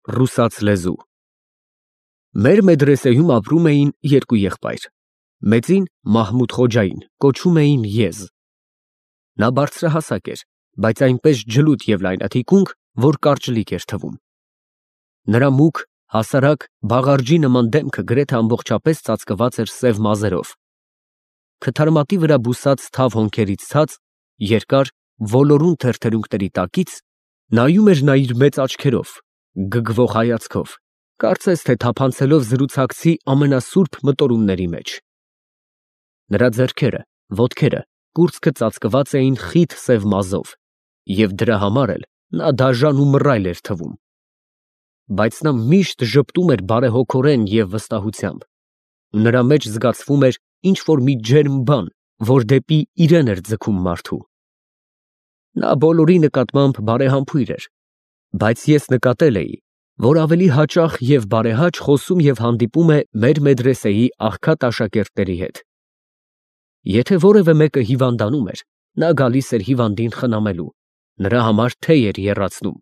Ռուսաց լեզու։ Մեր մեդրեսեում ապրում էին երկու եղբայր։ Մեծին Մահմուդ Խոջային կոչում էին Եզ։ Նա բարձրահասակ էր, բայց այնպես ջլութ և լայնաթիկունք, որ կարճլիկ էր թվում։ Նրա մուգ, հասարակ, բաղարջի նման դեմքը գրեթե ամբողջապես ծածկված էր սև մազերով։ Քթարմատի վրա բուսած թավ հոնքերից ցած, երկար, ոլորուն թերթերունքների տակից նայում էր նա իր մեծ աչքերով, գգվող հայացքով, կարծես թե թափանցելով զրուցակցի ամենասուրբ մտորումների մեջ։ Նրա ձեռքերը, ոտքերը, կուրծքը ծածկված էին խիտ սև մազով, և դրա համար էլ նա դաժան ու մռայլ էր թվում։ Բայց նա միշտ ժպտում էր բարեհոգորեն և վստահությամբ, ու նրա մեջ զգացվում էր ինչ֊որ մի ջերմ բան, որ դեպի իրեն էր ձգում մարդու։ Նա բոլորի նկատմամբ բարեհամբույր էր, բայց ես նկատել էի, որ ավելի հաճախ և բարեհաճ խոսում և հանդիպում է մեր մեդրեսեի աղքատ աշակերտների հետ։ Եթե որևէ մեկը հիվանդանում էր, նա գալիս էր հիվանդին խնամելու, նրա համար թեյ էր եռացնում,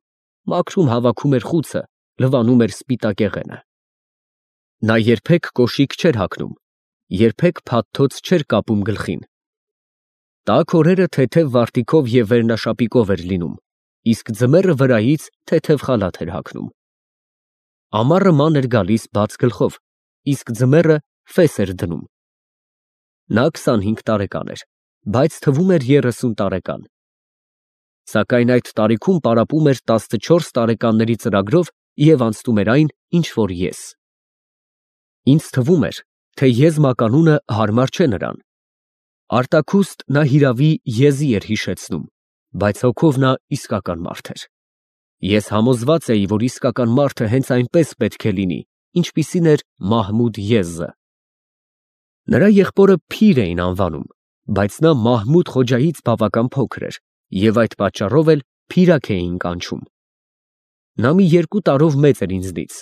մաքրում հավաքում էր խուցը, լվանում էր սպիտակեղենը։ Նա երբեք կոշիկ չէր հագնում, երբեք փաթթոց չէր կապում գլխին։ Տաք օրերը թեթև վարտիքով և վերնաշապիկով էր լինում, իսկ ձմեռը վրայից թեթև խալաթ էր հագնում։ Ամառը ման էր գալիս բաց գլխով, իսկ ձմեռը ֆես էր դնում։ Նա 25 տարեկան էր, բայց թվում էր 30 տարեկան։ Սակայն այդ տարիքում պարապում էր 14 տարեկանների ծրագրով և անցնում էր այն, ինչ որ ես։ Ինձ թվում էր, թե Եզ մականունը հարմար չէ նրան։ Արտաքուստ նա հիրավի Եզի էր հիշեցնում, բայց հոգով նա իսկական մարդ էր։ Ես համոզված էի, որ իսկական մարդը հենց այնպես պետք է լինի, ինչպիսին էր Մահմուդ Եզը։ Նրա եղբորը Փիր էին անվանում, բայց նա Մահմուդ Խոջայից բավական փոքր էր և այդ պատճառով էլ Փիրակ էին կանչում։ Նա մի 2 տարով մեծ էր ինձնից։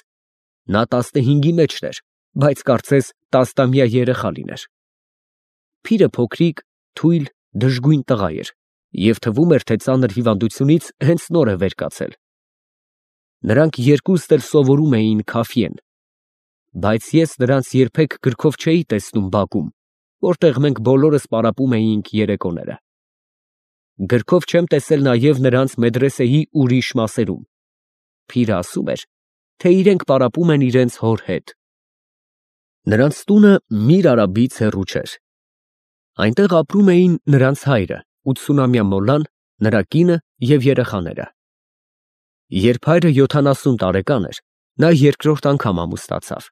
Նա 15-ի մեջն էր, բայց կարծես 10-ամյա երեխա լիներ։ Փիրը փոքրիկ, թույլ, դժգույն տղա էր և թվում էր, թե ծանր հիվանդությունից հենց նոր է վեր կացել։ Նրանք երկուստ էլ սովորում էին Քաֆիեն, բայց ես նրանց երբեք գրքով չէի տեսնում բակում, որտեղ մենք բոլորս պարապում էինք երեկոները։ Գրքով չեմ տեսել նաև նրանց մեդրեսեի ուրիշ մասերում։ Փիրը ասում էր, թե իրենք պարապում են իրենց հոր հետ։ Նրանց տունը Միր Արաբից հեռու չէր։ Այնտեղ ապրում էին նրանց հայրը, 80-ամյա մոլլան, նրա կինը և երեխաները։ Երբ հայրը 70 տարեկան էր, նա երկրորդ անգամ ամուսնացավ։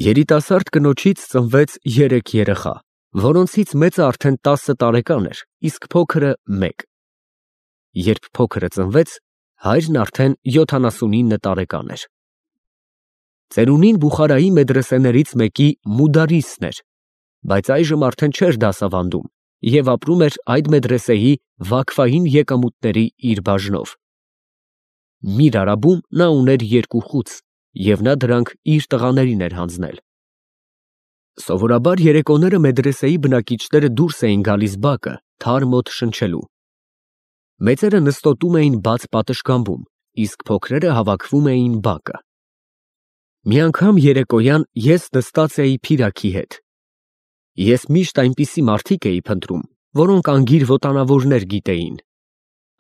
Երիտասարդ կնոջից ծնվեց 3 երեխա, որոնցից մեծը արդեն 10 տարեկան էր, իսկ փոքրը 1։ Երբ փոքրը ծնվեց, հայրն արդեն 79 տարեկան էր։ Ծերունին Բուխարայի մեդրեսեներից մեկի մուդարիսն էր, բայց այժմ արդեն չէր դասավանդում և ապրում էր այդ մեդրեսեի վաքֆային եկամուտների իր բաժնով։ Միր Արաբում նա ուներ 2 խուց և նա դրանք իր տղաներին էր հանձնել։ Սովորաբար երեկոները մեդրեսեի բնակիչները դուրս էին գալիս բակը թար մոտ շնչելու։ Մեծերը նստոտում էին բաց պատշգամբում, իսկ փոքրերը հավաքվում էին բակը։ Մի անգամ երեկոյան ես նստած էի Փիրակի հետ։ Ես միշտ այնպիսի մարդիկ էի փնտրում, որոնք անգիր ոտանավորներ գիտեին։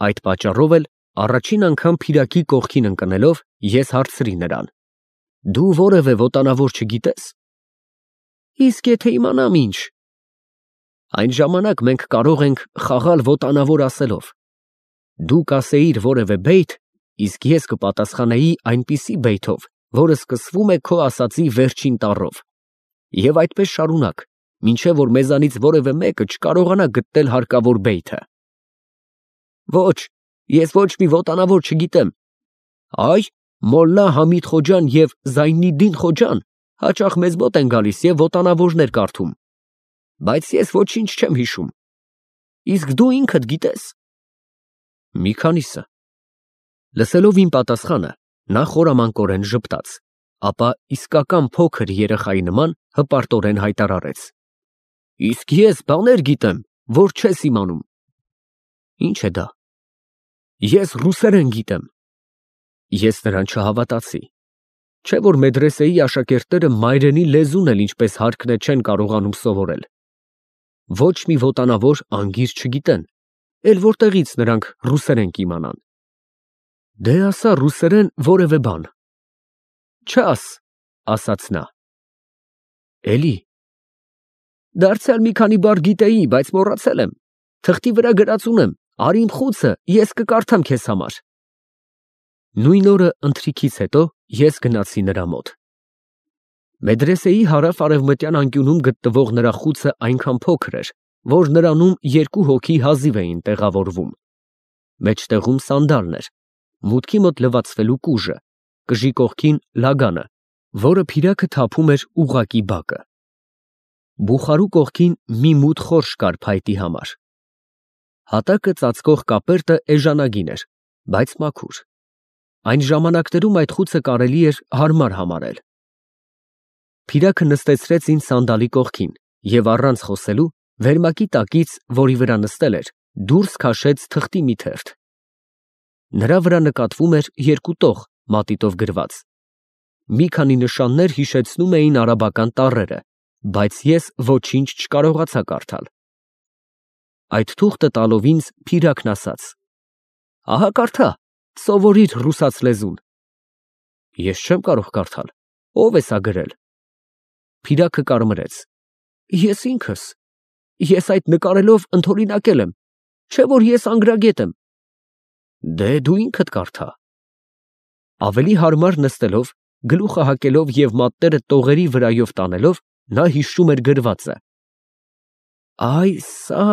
Այդ պատճառով էլ առաջին անգամ Փիրակի կողքին ընկնելով, ես հարցրի նրան. «Դու որևէ ոտանավոր չգիտես»։ «Իսկ եթե իմանամ ինչ»։ Այն ժամանակ մենք կարող ենք խաղալ ոտանավոր ասելով։ Դու կասեիր որևէ բեյթ, իսկ ես կպատասխանեի այնպիսի բեյթով, որը սկսվում է քո ասածի վերջին տառով, և այդպես շարունակ, մինչև որ մեզանից որևէ մեկը չկարողանա գտնել հարկավոր բեյթը։ Ոչ, ես ոչ մի ոտանավոր չգիտեմ։ Այ, Մոլլա Համիդ Խոջան և Զայնիդդին Խոջան հաճախ մեզ մոտ են գալիս և ոտանավորներ կարդում, բայց ես ոչինչ չեմ հիշում։ Իսկ դու ինքդ գիտե՞ս։ Մի քանիսը։ Լսելով իմ պատասխանը, նա խորամանկորեն ժպտաց, ապա իսկական փոքր երեխայի նման հպարտորեն հայտարարեց. Իսկ ես բաներ գիտեմ, որ չես իմանում։ Ի՞նչ է դա։ Ես ռուսերեն գիտեմ։ Ես նրան չհավատացի։ Չէ որ մեդրեսեի աշակերտները մայրենի լեզուն էլ ինչպես հարկն է չեն կարողանում սովորել։ Ոչ մի ոտանավոր անգիր չգիտեն, էլ որտեղից նրանք ռուսերեն կիմանան։ Դե ասա ռուսերեն որևէ բան։ Չաս, ասաց նա։ Էլի։ Դարձյալ մի քանի բառ գիտեի, բայց մոռացել եմ։ Թղթի վրա գրած ունեմ, արի իմ խուցը, ես կկարդամ քեզ համար։ Նույն օրը ընթրիքից հետո ես գնացի նրա մոտ։ Մեդրեսեի հարավ-արևմտյան անկյունում գտնվող նրա խուցը այնքան փոքր էր, որ նրանում 2 հոգի հազիվ էին տեղավորվում։ Մեջտեղում սանդալն էր, մուտքի մոտ լվացվելու կուժը, կժի կողքին լագանը, որը փիրակը թափում էր ուղղակի բակը։ Բուխարու կողքին մի մութ խորշ կար փայտի համար։ Հատակը ծածկող կապերտը էժանագին էր, բայց մաքուր։ Այն ժամանակներում այդ խուցը կարելի էր հարմար համարել։ Փիրակը նստեցրեց ինձ սանդալի կողքին և առանց խոսելու վերմակի տակից, որի վրա նստել էր, դուրս քաշեց թղթի մի թերթ։ Նրա վրա նկատվում էր 2 տող մատիտով գրված։ Մի քանի նշաններ հիշեցնում էին արաբական տառերը, բայց ես ոչինչ չկարողացա կարդալ։ Այդ թուղթը տալով ինձ Փիրակն ասաց. Ահա կարդա, սովորիր ռուսաց լեզուն։ Ես չեմ կարող կարդալ, ով է սա գրել։ Փիրակը կարմրեց։ Ես ինքս։ Ես այդ նկարելով ընդօրինակել եմ, չէ որ ես անգրագետ եմ։ Դե դու ինքդ կարդա։ Ավելի հարմար նստելով, գլուխը հակելով և մատները տողերի վրայով տանելով, նա հիշում էր գրվածը։ Այ սա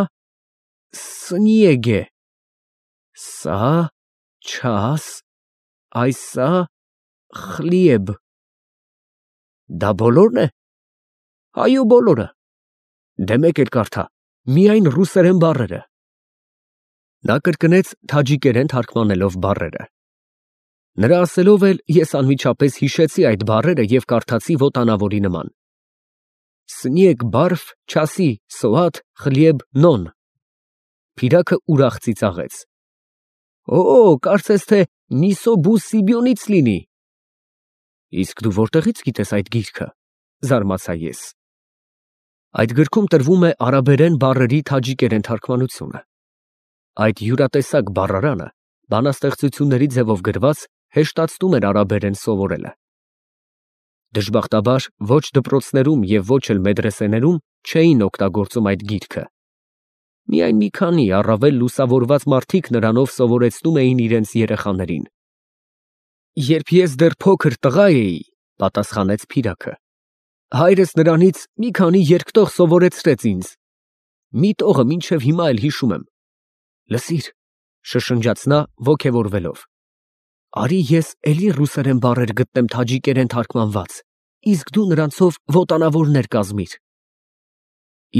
սնիեգ է, սա չաս, այսա խլիեբ։ Դա բոլորն է։ Այո, բոլորը։ Դե մեկ էլ կարդա, միայն ռուսերեն բառերը։ Նա կրկնեց թաջիկերեն թարգմանելով բառերը։ Նրա ասելով էլ ես անմիջապես հիշեցի այդ բառերը և կարդացի ոտանավորի նման։ Սնիեգ բարֆ չասի սոատ խլիեբ նոն։ Փիրակը ուրախ ծիծաղեց։ Օ, կարծես թե Նիսոբու Սիբիոնից լինի։ Իսկ դու որտեղից գիտես այդ գիրքը, զարմացա ես։ Այդ գրքում տրվում է արաբերեն բառերի թաջիկերեն թարգմանությունը։ Այդ յուրատեսակ բառարանը բանաստեղծությունների ձևով գրված հեշտացնում էր արաբերեն սովորելը։ Դժբախտաբար ոչ դպրոցներում և ոչ էլ մեդրեսեներում չէին օգտագործում այդ գիրքը։ Միայն մի քանի առավել լուսավորված մարդիկ նրանով սովորեցնում էին իրենց երեխաներին։ Երբ ես դեռ փոքր տղա էի, պատասխանեց Փիրակը, հայրս նրանից մի քանի երկտող սովորեցրեց ինձ։ Մի տողը մինչև հիմա էլ հիշում եմ։ Լսիր, շշնջաց նա ոգևորվելով։ Արի ես էլի ռուսերեն բառեր գտնեմ թաջիկերեն թարգմանված, իսկ դու նրանցով ոտանավորներ կազմիր։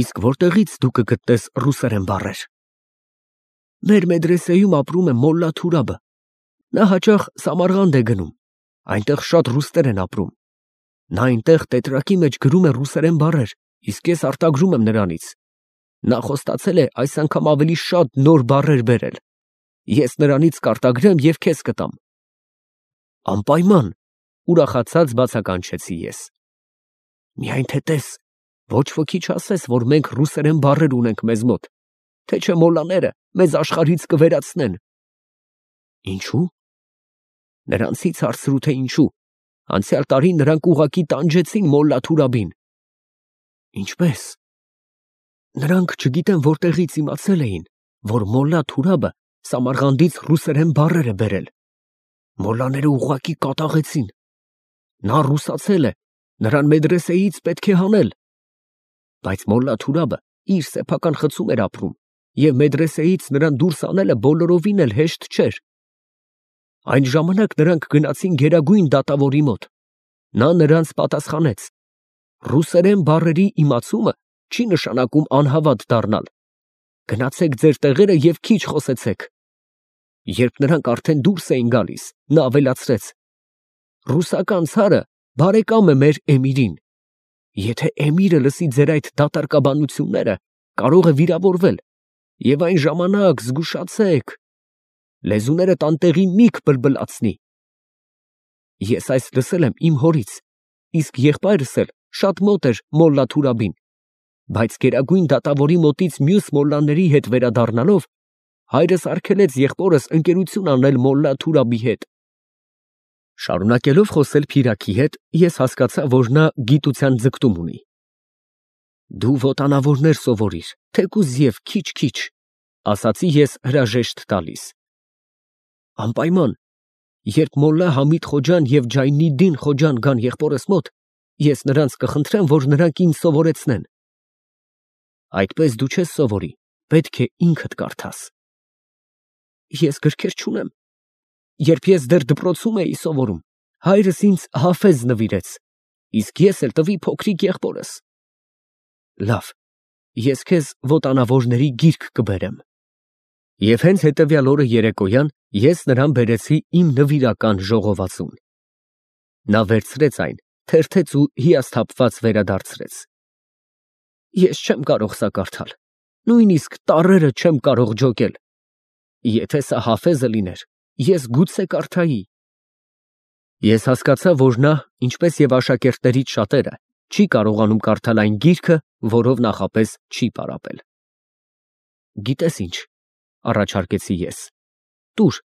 Իսկ որտեղից դու կգտնես ռուսերեն բառեր։ Մեր մեդրեսեյում ապրում է Մոլլա Թուրաբը։ Նա հաճախ Սամարղանդ է գնում, այնտեղ շատ ռուսներ են ապրում։ Նա այնտեղ տետրակի մեջ գրում է ռուսերեն բառեր, իսկ ես արտագրում եմ նրանից։ Նա խոստացել է այս անգամ ավելի շատ նոր բառեր բերել։ Ես նրանից կարտագրեմ և քեզ կտամ։ Անպայման, ուրախացած բացականչեցի ես։ Միայն թե տես, ոչ ոքի չասես, որ մենք ռուսերեն բառեր ունենք մեզ մոտ, թե չէ մոլլաները մեզ աշխարհից կվերացնեն։ Ինչու՞։ Նրանցից հարցրու, թե ինչու։ Անցյալ տարի նրանք ուղղակի տանջեցին Մոլլա Թուրաբին։ Ինչպե՞ս։ Նրանք չգիտեմ որտեղից իմացել էին, որ Մոլլա Թուրաբը Սամարղանդից ռուսերեն բառեր է բերել։ Մոլլաները ուղղակի կատաղեցին։ Նա ռուսացել է, նրան մեդրեսեից պետք է հանել։ Բայց Մոլլա Թուրաբը իր սեփական խցում էր ապրում, և մեդրեսեից նրան դուրս անելը բոլորովին էլ հեշտ չէր։ Այն ժամանակ նրանք գնացին գերագույն դատավորի մոտ։ Նա նրանց պատասխանեց. ռուսերեն բառերի իմացումը չի նշանակում անհավատ դառնալ։ Գնացեք ձեր տեղերը և քիչ խոսեցեք։ Երբ նրանք արդեն դուրս էին գալիս, նա ավելացրեց. ռուսական ցարը բարեկամ է մեր էմիրին։ Եթե էմիրը լսի ձեր այդ դատարկաբանությունները, կարող է վիրավորվել, և այն ժամանակ զգուշացեք։ Լեզուները տանտեղի մի կբլբլացնի։ Ես այս լսել եմ իմ հորից, իսկ եղբայրս էլ շատ մոտ էր Մոլլա Թուրաբին, բայց գերագույն դատավորի մոտից մյուս մոլլաների հետ վերադառնալով, հայրս արգելեց եղբորս ընկերություն անել Մոլլա Թուրաբի հետ։ Շարունակելով խոսել Փիրակի հետ, ես հասկացա, որ նա գիտության ձգտում ունի։ Դու ոտանավորներ սովորիր, թեկուզ և քիչ-քիչ, ասացի ես հրաժեշտ տալիս։ Անպայման, երբ Մոլլա Համիդ Խոջան և Ջայնիդդին Խոջան գան եղբորս մոտ, ես նրանց կխնդրեմ, որ նրանք ինձ սովորեցնեն։ Այդպես դու չես սովորի, պետք է ինքդ կարդաս։ Ես գրքեր չունեմ։ Երբ ես դեռ դպրոցում էի սովորում, հայրս ինձ Հաֆեզ նվիրեց, իսկ ես էլ տվի փոքրիկ եղբորս։ Լավ, ես քեզ ոտանավորների գիրք կբերեմ։ Եվ հենց հետևյալ օրը երեկոյան ես նրան բերեցի իմ նվիրական ժողովածուն։ Նա վերցրեց այն, թերթեց ու հիասթափված վերադարձրեց։ Ես չեմ կարող սա կարդալ, նույնիսկ տառերը չեմ կարող ջոկել։ Եթե սա Հաֆեզը լիներ, ես գուցե կարդայի։ Ես հասկացա, որ նա, ինչպես և աշակերտներից շատերը, չի կարողանում կարդալ այն գիրքը, որով նախապես չի պարապել։ Գիտես ինչ, առաջարկեցի ես։ Տուր,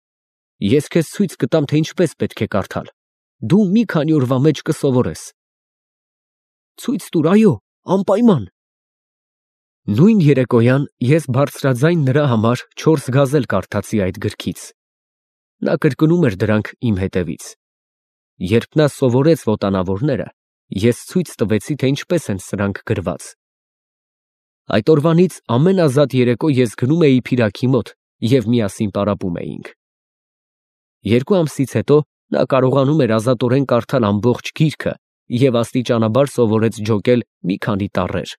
ես քեզ ցույց կտամ, թե ինչպես պետք է կարդալ։ Դու մի քանի օրվա մեջ կսովորես։ Ցույց տուր, այո, անպայման։ Նույն երեկոյան ես բարձրաձայն նրա համար 4 գազել կարդացի այդ գրքից։ Նա կրկնում էր դրանք իմ հետևից։ Երբ նա սովորեց ոտանավորները, ես ցույց տվեցի, թե ինչպես են սրանք գրված։ Այդ օրվանից ամեն ազատ երեկո ես գնում էի Փիրակի մոտ և միասին պարապում էինք։ 2 ամսից հետո նա կարողանում էր ազատորեն կարդալ ամբողջ գիրքը և աստիճանաբար սովորեց ջոկել մի քանի տառեր։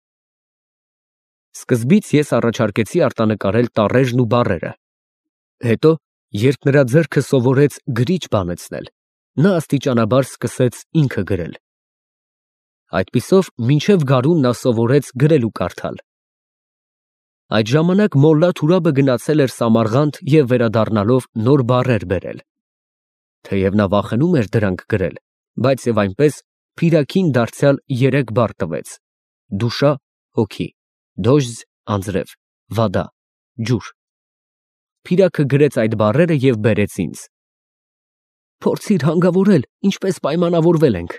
Սկզբից ես առաջարկեցի արտանկարել տառերն ու բառերը։ Հետո, երբ նրա ձեռքը սովորեց գրիչ բանեցնել, նա աստիճանաբար սկսեց ինքը գրել։ Այդպիսով մինչև գարուն նա սովորեց գրել ու կարդալ։ Այդ ժամանակ Մոլլա Թուրաբը գնացել էր Սամարղանդ և վերադառնալով նոր բառեր բերել։ Թեև նա վախենում էր դրանք գրել, բայց և այնպես Փիրակին դարձյալ 3 բառ տվեց. դուշա, հոգի, դոժձ, անձրև, վադա, ջուր։ Փիրակը գրեց այդ բառերը և բերեց ինձ։ Փորձիր հանգավորել, ինչպես պայմանավորվել ենք։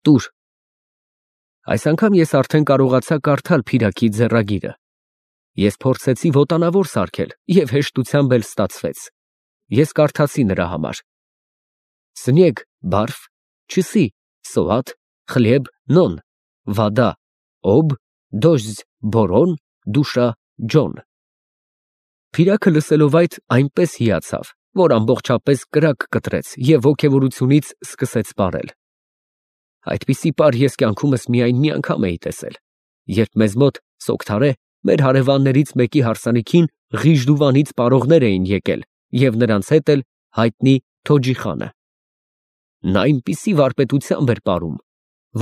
Տուր։ Այս անգամ ես արդեն կարողացա կարդալ Փիրակի ձեռագիրը։ Ես փորձեցի ոտանավոր սարքել և հեշտությամբ էլ ստացվեց։ Ես կարդացի նրա համար. Սնեգ, բարֆ, չսի, սոատ, խլեբ, նոն, վադա, օբ, դոժձ, բորոն, դուշա, ջոն։ Փիրակը լսելով այդ այնպես հիացավ, որ ամբողջապես կրակ կտրեց և ոգևորությունից սկսեց պարել։ Այդպիսի պար ես կյանքումս միայն մի անգամ էի տեսել, երբ մեզ մոտ Սոքթարե, մեր հարևաններից մեկի հարսանիքին Ղիժդուվանից պարողներ էին եկել և նրանց հետ էլ հայտնի Թոջի խանը։ Նա այնպիսի վարպետությամբ էր պարում,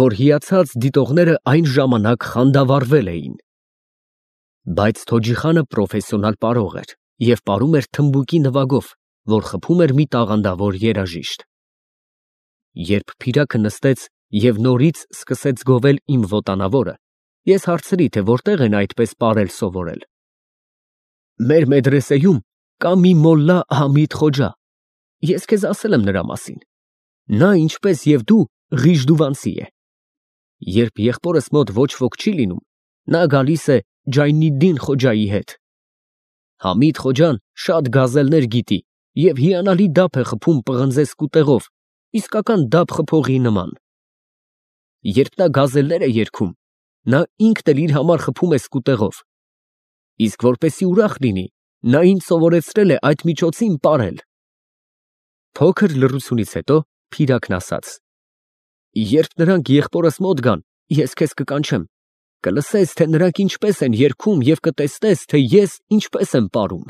որ հիացած դիտողները այն ժամանակ խանդավառվել էին։ Բայց Թոջի խանը պրոֆեսիոնալ պարող էր և պարում էր թմբուկի նվագով, որ խփում էր մի տաղանդավոր երաժիշտ։ Երբ Փիրակը նստեց և նորից սկսեց գովել իմ ոտանավորը, ես հարցրի, թե որտեղ են այդպես պարել սովորել։ Մեր մեդրեսեում կա մի Մոլլա Համիդ Խոջա, ես քեզ ասել եմ նրա մասին։ Նա, ինչպես և դու, Ղիժդուվանցի է։ Երբ եղբորս մոտ ոչ ոք չի լինում, նա գալիս է Ջայնիդդին Խոջայի հետ։ Համիդ Խոջան շատ գազելներ գիտի և հիանալի դափ է խփում պղնձե սկուտեղով, իսկական դափ խփողի նման։ Երբ նա գազելներ է երգում, նա ինքն էլ իր համար խփում է սկուտեղով։ Իսկ որպեսզի ուրախ լինի, նա ինձ սովորեցրել է այդ միջոցին պարել։ Փոքր լռությունից հետո Փիրակն ասաց. Երբ նրանք եղբորս մոտ գան, ես քեզ կկանչեմ, կլսես, թե նրանք ինչպես են երգում և կտեսնես, թե ես ինչպես եմ պարում։